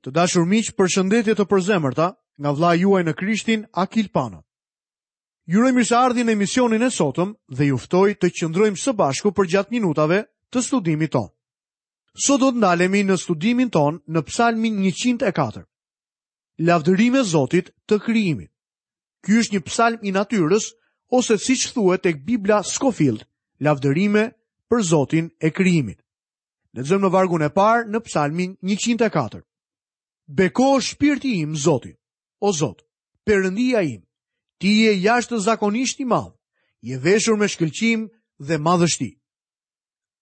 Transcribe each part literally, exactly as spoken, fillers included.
Të dashur miq, përshëndetje të përzemërta nga vëllai juaj në Krishtin, Akil Pano. Ju uroj mirëseardhjen në emisionin e sotëm dhe ju ftoj të qëndrojmë së bashku përgjatë minutave të studimit tonë. Sot do të ndalemi në studimin tonë në Psalmin njëqind e katër. Lavdërime Zotit të krijimit. Ky është një psalm i natyrës ose siç thuhet tek Bibla Scofield, lavdërime për Zotin e krijimit. Lexojmë në vargun e parë në Psalmin njëqind e katër. Beko shpirti im Zotin, o Zot, Perëndia im, ti je jashtëzakonisht i madh, je veshur me shkëlqim dhe madhështi.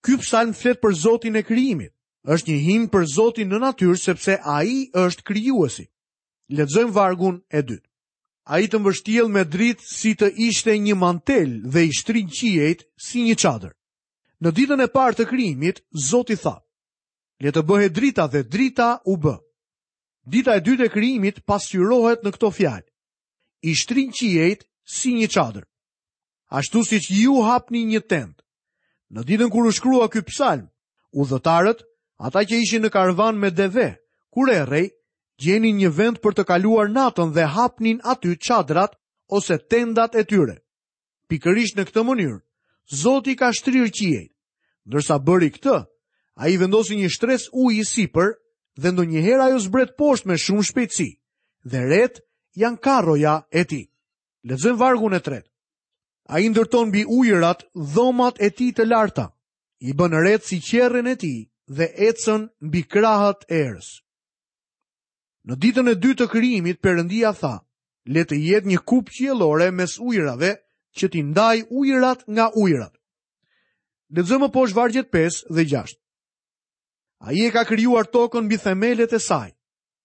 Ky psalm flet për Zotin e krijimit. Është një himn për Zotin në natyrë sepse ai është krijuesi. Lexojmë vargun e dytë. Ai të mbështjell me dritë si të ishte një mantel dhe i shtrin qiejt si një çadër. Në ditën e parë të krijimit, Zoti tha: Le të bëhet drita dhe drita u bë. Dita e dytë e krijimit pasqyrohet në këto fjalë: I shtrin qiejt si një çadër. Ashtu siç ju hapni një tendë. Në ditën kur u shkrua ky psalm, udhëtarët, ata që ishin në karvan me deve, kur errej, gjenin një vend për të kaluar natën dhe hapnin aty çadrat ose tendat e tyre. Pikërisht në këtë mënyrë, Zoti ka shtrirë qiejt. Ndërsa bëri këtë, ai vendosi një shtresë uji sipër dhe ndonjëherë ajo zbret poshtë me shumë shpejtësi, dhe ret janë karroja e tij. Lexojmë vargun e tretë. Ai ndërton mbi ujërat dhomat e tij të larta, i bën ret si qerrën e tij dhe ecën mbi krahët e erës. Në ditën e dytë të krijimit, Perëndia tha: Le të jetë një kupë qiellore mes ujërave që t'i ndaj ujërat nga ujërat. Lexojmë më poshtë vargjet pesë dhe gjashtë. Ai e ka krijuar tokën mbi themelet e saj.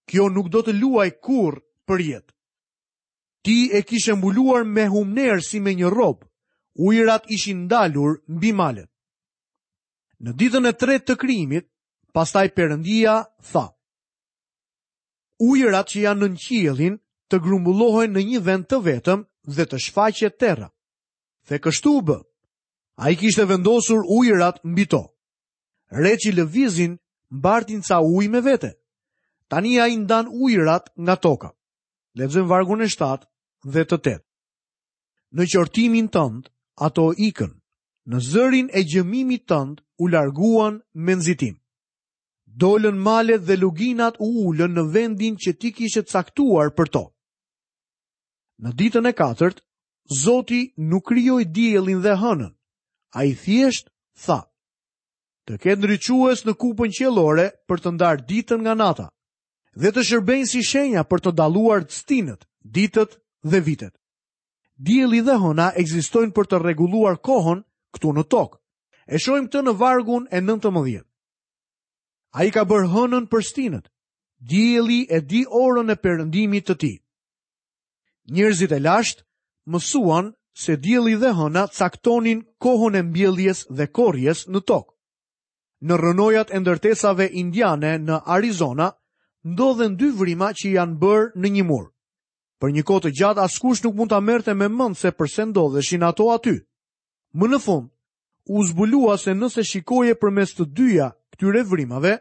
Kjo nuk do të luaj kurrë për jetë. Ti e kishe mbuluar me humner si me një rob. Ujërat ishin ndalur mbi malet. Në ditën e tretë të krijimit, pastaj Perëndia tha: Ujërat që janë nën qiellin të grumbullohen në një vend të vetëm dhe të shfaqet terra. Dhe kështu u bë. Ai kishte vendosur ujërat mbi to. Reçi lëvizin mbartin ca ujë me vete. Tani ai ndan ujërat nga toka. Lexojmë vargun e shtatë dhe të tetë. Në qortimin tënd ato ikën, në zërin e gjëmimit tënd u larguan me nxitim. Dolën malet dhe luginat u ulën në vendin që ti kishe caktuar për to. Në ditën e katërt, Zoti nuk krijoi diellin dhe hënën. Ai thjesht tha: Të ketë ndriçues në kupën qiellore për të ndarë ditën nga nata dhe të shërbejnë si shenja për të dalluar stinët, ditët dhe vitet. Dielli dhe hëna ekzistojnë për të rregulluar kohën këtu në tokë. E shohim këtë në vargun e nëntëmbëdhjetë. Ai ka bërë hënën për stinët. Dielli e di orën e perëndimit të tij. Njerëzit e lashtë mësuan se dielli dhe hëna caktonin kohën e mbjelljes dhe korrjes në tokë. Në rrënojat e ndërtesave indiane në Arizona ndodhen dy vrima që janë bërë në një mur. Për një kohë të gjatë askush nuk mund ta merrte me mend se përse ndodheshin ato aty. Më në fund, u zbulua se nëse shikoje përmes të dyja këtyre vrimave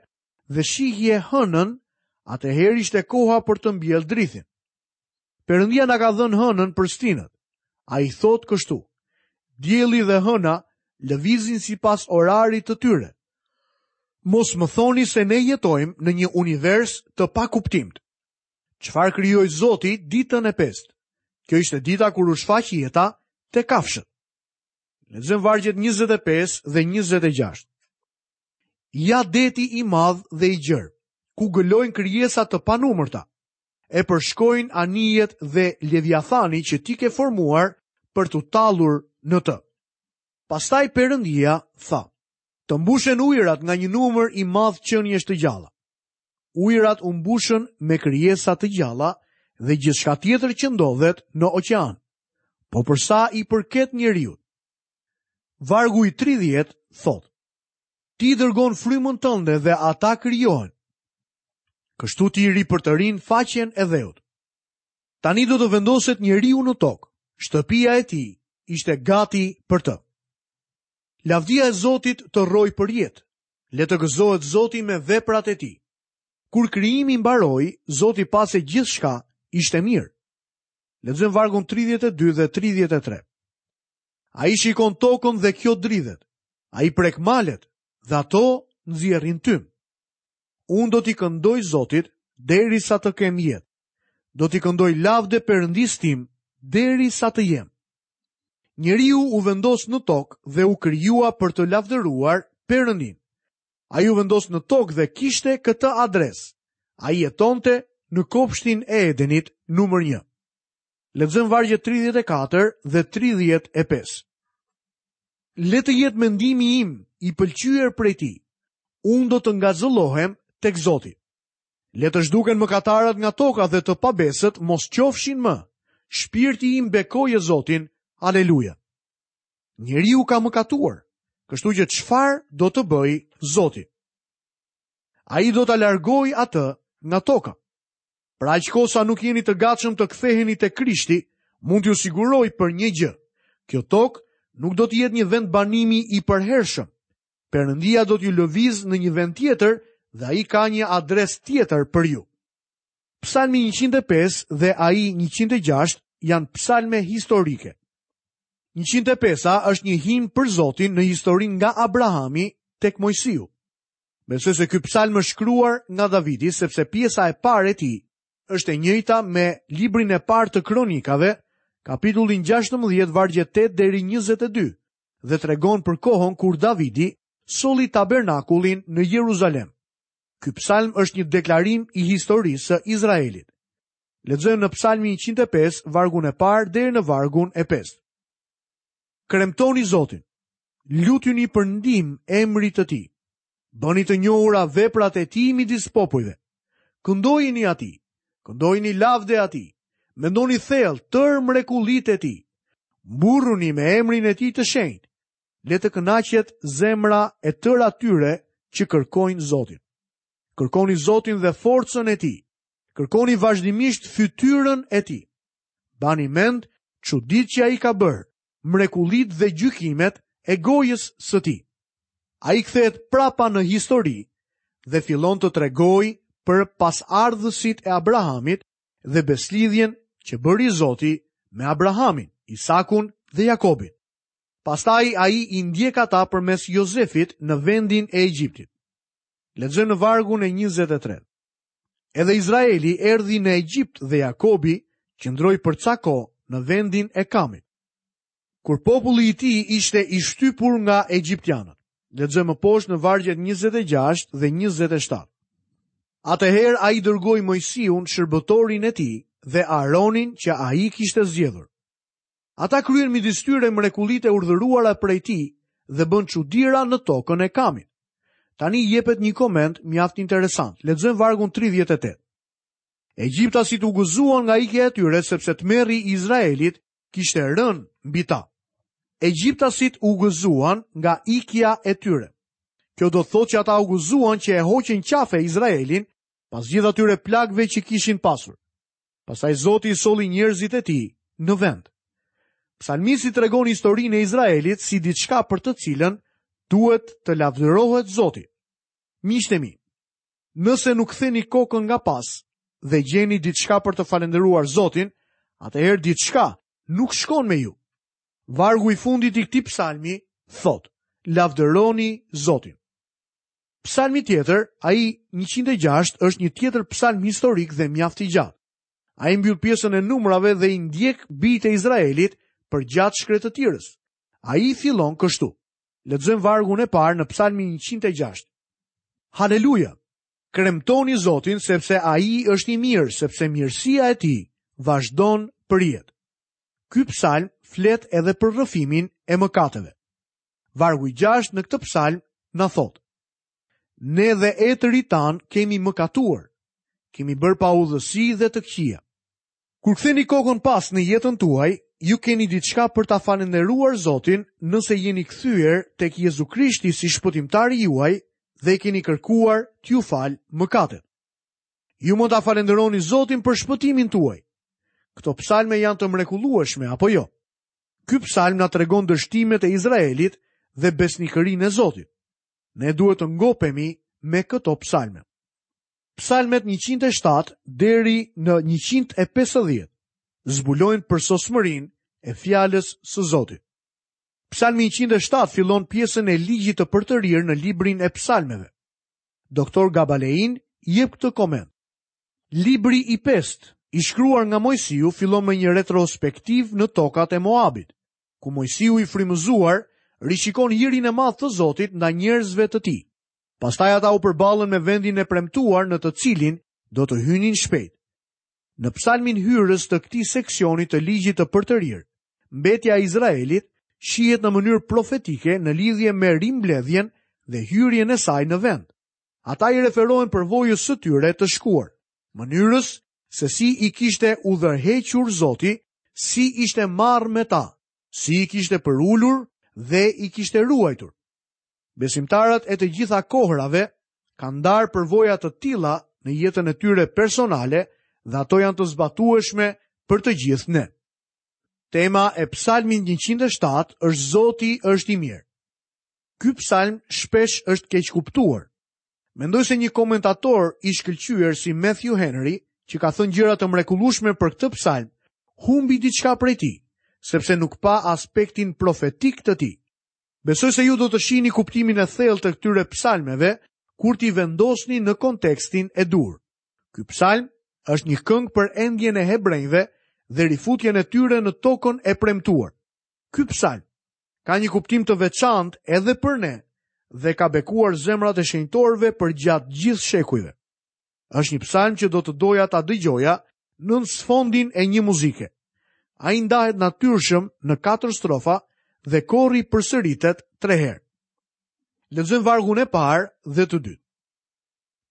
dhe shihje hënën, atëherë ishte koha për të mbjellë drithin. Perëndia na ka dhënë hënën për stinët. Ai thotë kështu: Dielli dhe hëna lëvizin sipas orarit të tyre. Mos më thoni se ne jetojmë në një univers të pakuptimtë. Çfarë krijoi Zoti ditën e pestë? Kjo ishte dita kur u shfaq jeta te kafshët. Lexojmë vargjet njëzet e pesë dhe njëzet e gjashtë. Ja deti i madh dhe i gjerë, ku gëlojnë krijesa të panumërta, e përshkojnë anijet dhe leviathani që ti ke formuar për t'u tallur në të. Pastaj Perëndia tha: Të mbushen ujërat nga një numër i madh qeniesh të gjalla. Ujërat u mbushën me krijesa të gjalla dhe gjithçka tjetër që ndodhet në oqean. Po për sa i përket njeriut, vargu i tridhjetë thotë: Ti dërgon frymën tënde dhe ata krijohen. Kështu ti ripërtërin faqen e dheut. Tani do të vendoset njeriu në tokë. Shtëpia e tij ishte gati për të. Lavdia e Zotit të rroj për jetë. Le të gëzohet Zoti me veprat e tij. Kur krijimi mbaroi, Zoti pa se gjithçka ishte mirë. Lexojmë vargun tridhjetë e dy dhe tridhjetë e tre. Ai shikon tokën dhe kjo dridhet. Ai prek malet dhe ato nxjerrin tym. Unë do t'i këndoj Zotit derisa të kem jetë. Do t'i këndoj lavde Perëndisë tim derisa të jem. Njeriu u vendos në tokë dhe u krijua për të lavdëruar Perëndin. Ai u vendos në tokë dhe kishte këtë adresë. Ai jetonte në kopshtin e Edenit numër një. Lexojmë vargjet tridhjetë e katër dhe tridhjetë e pesë. Le të jetë mendimi im i pëlqyer prej tij. Unë do të ngazëllohem tek Zoti. Le të zhduken mëkatarët nga toka dhe të pabesët mos qofshin më. Shpirti im bekoje Zotin. Aleluja. Njeriu ka mëkatuar, kështu që çfarë do të bëj Zoti? Ai do ta largojë atë nga toka. Pra aq kohë sa nuk jeni të gatshëm të ktheheni te Krishti, mund t'ju siguroj për një gjë. Kjo tokë nuk do të jetë një vend banimi i përhershëm. Perëndia do t'ju lëviz në një vend tjetër dhe ai ka një adresë tjetër për ju. Psalmi njëqind e pesë dhe ai njëqind e gjashtë janë psalme historike. njëqind e pesa është një himn për Zotin në historinë nga Abrahami tek Mojsiu. Besoj se ky psalm është shkruar nga Davidi sepse pjesa e parë e tij është e njëjta me librin e parë të Kronikave, kapitullin gjashtëmbëdhjetë, vargjet tetë deri njëzet e dy, dhe tregon për kohën kur Davidi solli tabernakullin në Jeruzalem. Ky psalm është një deklarim i historisë së Izraelit. Lexojmë në Psalmin njëqind e pesë, vargun e parë deri në vargun e pestë. Kremtoni Zotin, lutjuni për ndihmë emrit të tij. Bëni të njohura veprat e tij midis popujve. Këndojini atij, këndojini lavde atij. Mendoni thellë tërë mrekullitë e tij. Mburruni me emrin e tij të shenjtë. Le të kënaqet zemra e tërë atyre që kërkojnë Zotin. Kërkoni Zotin dhe forcën e tij. Kërkoni vazhdimisht fytyrën e tij. Bani mend çuditë që ai ka bërë, mrekullitë dhe gjykimet e gojës së tij. Ai kthehet prapa në histori dhe fillon të tregojë për pasardhësit e Abrahamit dhe beslidhjen që bëri Zoti me Abrahamin, Isakun dhe Jakobin. Pastaj ai i ndjek ata përmes Jozefit në vendin e Egjiptit. Lexojmë në vargun e njëzet e tre. Edhe Izraeli erdhi në Egjipt dhe Jakobi qëndroi për ca kohë në vendin e Kamit, kur populli i tij ishte i shtypur nga egjiptianët. Lexojmë më poshtë në vargjet njëzet e gjashtë dhe njëzet e shtatë. Atëherë ai dërgoi Mojsiun, shërbëtorin e tij, dhe Aaronin që ai kishte zgjedhur. Ata kryen midis tyre mrekullitë e urdhëruara prej tij dhe bën çudira në tokën e Kamit. Tani jepet një koment mjaft interesant. Lexojmë vargun tridhjetë e tetë. Egjiptasit u gëzuan nga ikja e tyre sepse tmerri i Izraelit kishte rënë mbi ta. Egjiptasit u gëzuan nga ikja e tyre. Kjo do të thotë që ata u gëzuan që e hoqën qafe Izraelin pas gjithë atyre plagëve që kishin pasur. Pastaj Zoti i solli njerëzit e tij në vend. Psalmisti tregon historinë e Izraelit si diçka për të cilën duhet të lavdërohet Zoti. Miqtë e mi, nëse nuk ktheni kokën nga pas dhe gjeni diçka për të falendëruar Zotin, atëherë diçka nuk shkon me ju. Vargu i fundit i këtij psalmi thotë: Lavdëroni Zotin. Psalmi tjetër, ai njëqind e gjashtë, është një tjetër psalm historik dhe mjaft i gjatë. Ai mbyll pjesën e numrave dhe i ndjek bijtë e Izraelit përgjatë shkretëtirës. Ai fillon kështu. Lexojmë vargun e parë në Psalmin njëqind e gjashtë. Haleluja! Kremtoni Zotin sepse ai është i mirë, sepse mirësia e tij vazhdon për jetë. Ky psalm flet edhe për rrëfimin e mëkateve. Vargu i gjashtë në këtë psalm na thotë: Ne dhe etërit tan kemi mëkatuar, kemi bërë paudhësi dhe të këqija. Kur ktheni kokën pas në jetën tuaj, ju keni diçka për ta falënderuar Zotin nëse jeni kthyer tek Jezu Krishti si shpëtimtari juaj dhe keni kërkuar t'ju fal mëkatet. Ju mund ta falënderoni Zotin për shpëtimin tuaj. Këto psalme janë të mrekullueshme apo jo? Ky psalm na tregon dështimet e Izraelit dhe besnikërinë e Zotit. Ne duhet të ngopemi me këto psalme. Psalmet njëqind e shtatë deri në njëqind e pesëdhjetë zbulojnë përsosmërinë e fjalës së Zotit. Psalmi njëqind e shtatë fillon pjesën e ligjit të përtërirë në librin e psalmeve. Doktor Gabalein jep këtë koment. Libri i pestë, i shkruar nga Moisiu, fillon me një retrospektiv në tokat e Moabit, ku Moisiu i frymëzuar rishikon hirin e madh të Zotit ndaj njerëzve të tij. Pastaj ata u përballën me vendin e premtuar në të cilin do të hynin shpejt. Në psalmin hyrës të këtij seksioni të ligjit të përtërirë, mbetja e Izraelit shihet në mënyrë profetike në lidhje me rimbledhjen dhe hyrjen e saj në vend. Ata i referohen përvojës së tyre të shkuar, mënyrës se si i kishte udhërhequr Zoti, si ishte marrë me ta, si i kishte përulur dhe i kishte ruajtur. Besimtarët e të gjitha kohërave kanë ndarë përvoja të tilla në jetën e tyre personale dhe ato janë të zbatueshme për të gjithë ne. Tema e psalmit njëqind e shtatë është Zoti është i mirë. Ky psalm shpesh është keqkuptuar. Mendoj se një komentator i shkëlqyer si Matthew Henry, që ka thënë gjëra të mrekullueshme për këtë psalm, humbi diçka prej tij, sepse nuk pa aspektin profetik të tij. Besoj se ju do të shihni kuptimin e thellë të këtyre psalmeve kur t'i vendosni në kontekstin e duhur. Ky psalm është një këngë për endjen e hebrejve dhe rifutjen e tyre në tokën e premtuar. Ky psalm ka një kuptim të veçantë edhe për ne dhe ka bekuar zemrat e shenjtorëve përgjatë gjithë shekujve. Është një psalm që do të doja ta dëgjoja nën sfondin e një muzike. Ai ndahet natyrshëm në katër strofa dhe kori përsëritet tre herë. Lexojmë vargun e parë dhe të dytë.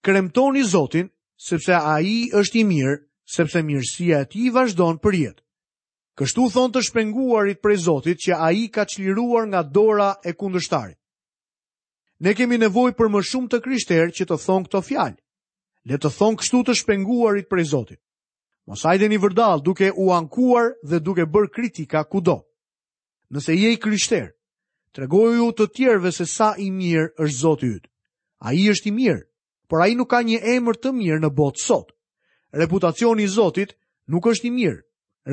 Kremtoni Zotin, sepse ai është i mirë, sepse mirësia e tij vazhdon për jetë. Kështu thon të shpenguarit prej Zotit që ai ka çliruar nga dora e kundërshtarit. Ne kemi nevojë për më shumë të krishterë që të thonë këto fjalë. Le të thonë kështu të shpenguarit prej Zotit. Mos hajdeni vërdall duke u ankuar dhe duke bërë kritika kudo. Nëse je i krishterë, tregoju të tjerëve se sa i mirë është Zoti yt. Ai është i mirë, por ai nuk ka një emër të mirë në botë sot. Reputacioni i Zotit nuk është i mirë.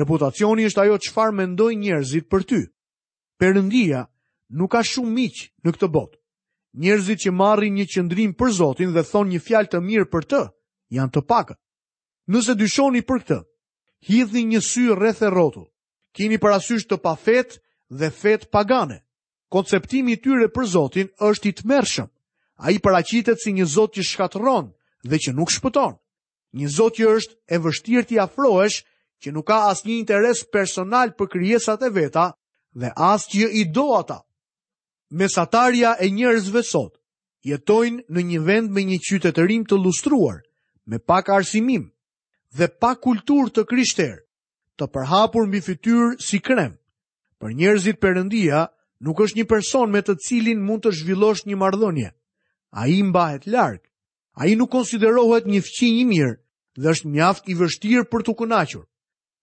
Reputacioni është ajo çfarë mendojnë njerëzit për ty. Perëndia nuk ka shumë miq në këtë botë. Njerëzit që marrin një qëndrim për Zotin dhe thonë një fjalë të mirë për të, janë të pakët. Nëse dyshoni për këtë, hidhni një sy rreth e rrotull. Kini parasysh të pafet dhe fet pagane. Konceptimi i tyre për Zotin është i tmerrshëm. Ai paraqitet si një Zot që shkatërron dhe që nuk shpëton. Një Zot që është e vështirë t'i afrohesh, që nuk ka asnjë interes personal për krijesat e veta dhe as që i do ata. Mesatarja e njerëzve sot jetojnë në një vend me një qytetërim të lustruar, me pak arsimim dhe pa kulturë të krishterë, të përhapur mbi fytyrë si krem. Për njerëzit Perëndia nuk është një person me të cilin mund të zhvillosh një marrëdhënie. Ai mbahet larg. Ai nuk konsiderohet një fqinj i mirë dhe është mjaft i vështirë për t'u kënaqur.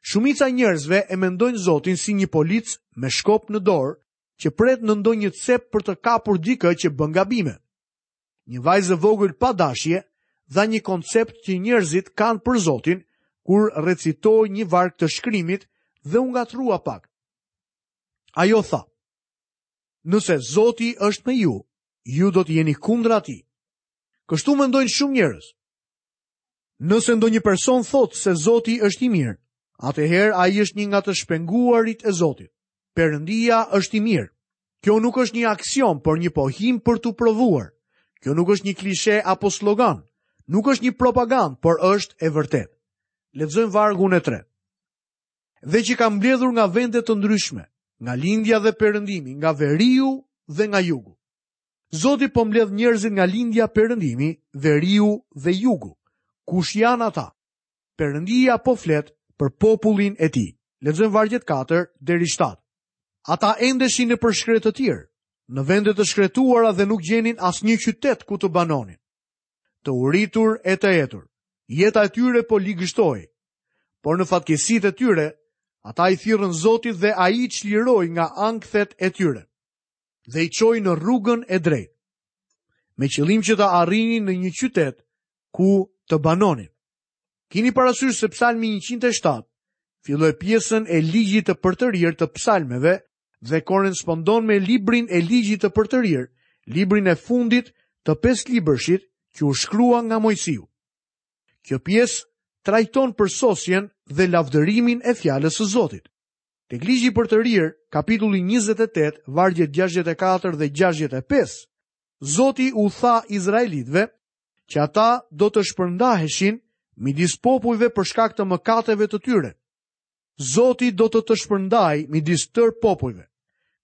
Shumica e njerëzve e mendojnë Zotin si një polic me shkop në dorë që pret në ndonjë cep për të kapur dikë që bën gabime. Një vajzë e vogël pa dashje dha një koncept që njerëzit kanë për Zotin kur recitoi një varg të shkrimit dhe u ngatrua pak. Ajo tha: Nëse Zoti është me ju, ju do të jeni kundra atij. Kështu mendojnë shumë njerëz. Nëse ndonjë person thotë se Zoti është i mirë, atëherë ai është një nga të shpenguarit e Zotit. Perëndia është i mirë. Kjo nuk është një aksion, por një pohim për t'u provuar. Kjo nuk është një klishe apo slogan, nuk është një propagandë, por është e vërtetë. Lexojmë vargun e tretë. Dhe që ka mbledhur nga vende të ndryshme, nga lindja dhe perëndimi, nga veriu dhe nga jugu. Zoti po mbledh njerëzit nga lindja, perëndimi, veriu dhe jugu. Kush janë ata? Perëndia po flet për popullin e tij. Lexojmë vargjet katër deri shtatë. Ata endeshin në përshkret të tjerë, në vende të shkretuara dhe nuk gjenin asnjë qytet ku të banonin. Të uritur e të etur, jeta e tyre po ligështohej. Por në fatkeqësitë e tyre, ata i thirrën Zotit dhe ai i çliroi nga ankthet e tyre dhe i çoi në rrugën e drejtë, me qëllim që të arrinin në një qytet ku të banonin. Kini parasysh se Psalmi njëqind e shtatë filloi pjesën e ligjit të përtërirë të psalmeve dhe korrespondon me librin e ligjit të përtërirë, librin e fundit të pesë libërshit që u shkrua nga Moisiu. Kjo pjesë trajton përsosjen dhe lavdërimin e fjalës së Zotit. Tek ligji përtërirë, kapitulli njëzet e tetë, vargjet gjashtëdhjetë e katër dhe gjashtëdhjetë e pesë, Zoti u tha izraelitëve që ata do të shpërndaheshin midis popujve për shkak të mëkateve të tyre. Zoti do të të shpërndaj midis tërë popujve,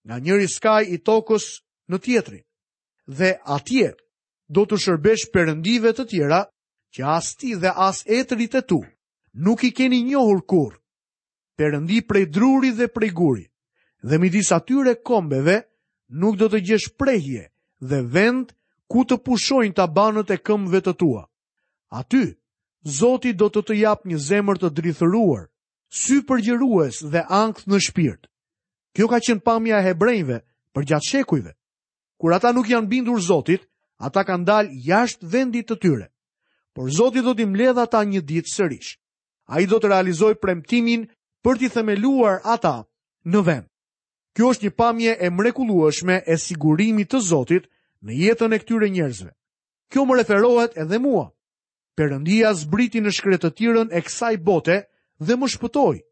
nga njëri skaj i tokës në tjetrin, dhe atje do të shërbesh perëndive të tjera që as ti dhe as etërit e tu nuk i keni njohur kurrë. Perëndi prej druri dhe prej guri, dhe midis atyre kombeve nuk do të gjesh prehje dhe vend ku të pushojnë tabanët e këmbëve të tua. Aty, Zoti do të të japë një zemër të drithëruar, sy përgjërues dhe ankth në shpirt. Kjo ka qenë pamja e hebrejve përgjatë shekujve. Kur ata nuk janë bindur Zotit, ata kanë dalë jashtë vendit të tyre. Por Zoti do t'i mbledhë ata një ditë sërish. Ai do të realizojë premtimin për t'i themeluar ata në vend. Kjo është një pamje e mrekullueshme e sigurimit të Zotit në jetën e këtyre njerëzve. Kjo më referohet edhe mua. Perëndia zbriti në shkretëtirën e kësaj bote dhe më shpëtoi.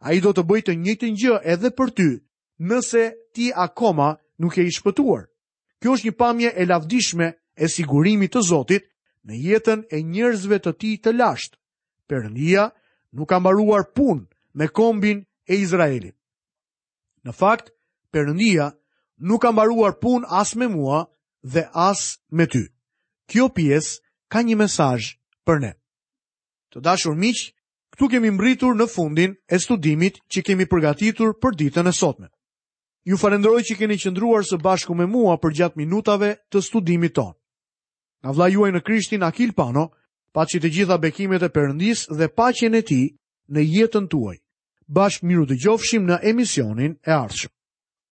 Ai do të bëjë të njëjtën gjë edhe për ty, nëse ti akoma nuk je i shpëtuar. Kjo është një pamje e lavdishme e sigurimit të Zotit në jetën e njerëzve të tij të lashtë. Perëndia nuk ka mbaruar punë me kombin e Izraelit. Në fakt, Perëndia nuk ka mbaruar punë as me mua dhe as me ty. Kjo pjesë ka një mesazh për ne. Të dashur miq, këtu kemi mbritur në fundin e studimit që kemi përgatitur për ditën e sotme. Ju falenderoj që keni qëndruar së bashku me mua përgjatë minutave të studimit tonë. Nga vëllai juaj në Krishtin Akil Pano, paçi të gjitha bekimet e Perëndisë dhe paqen e Tij në jetën tuaj. Bashkë miru dëgjofshim në emisionin e ardhshëm.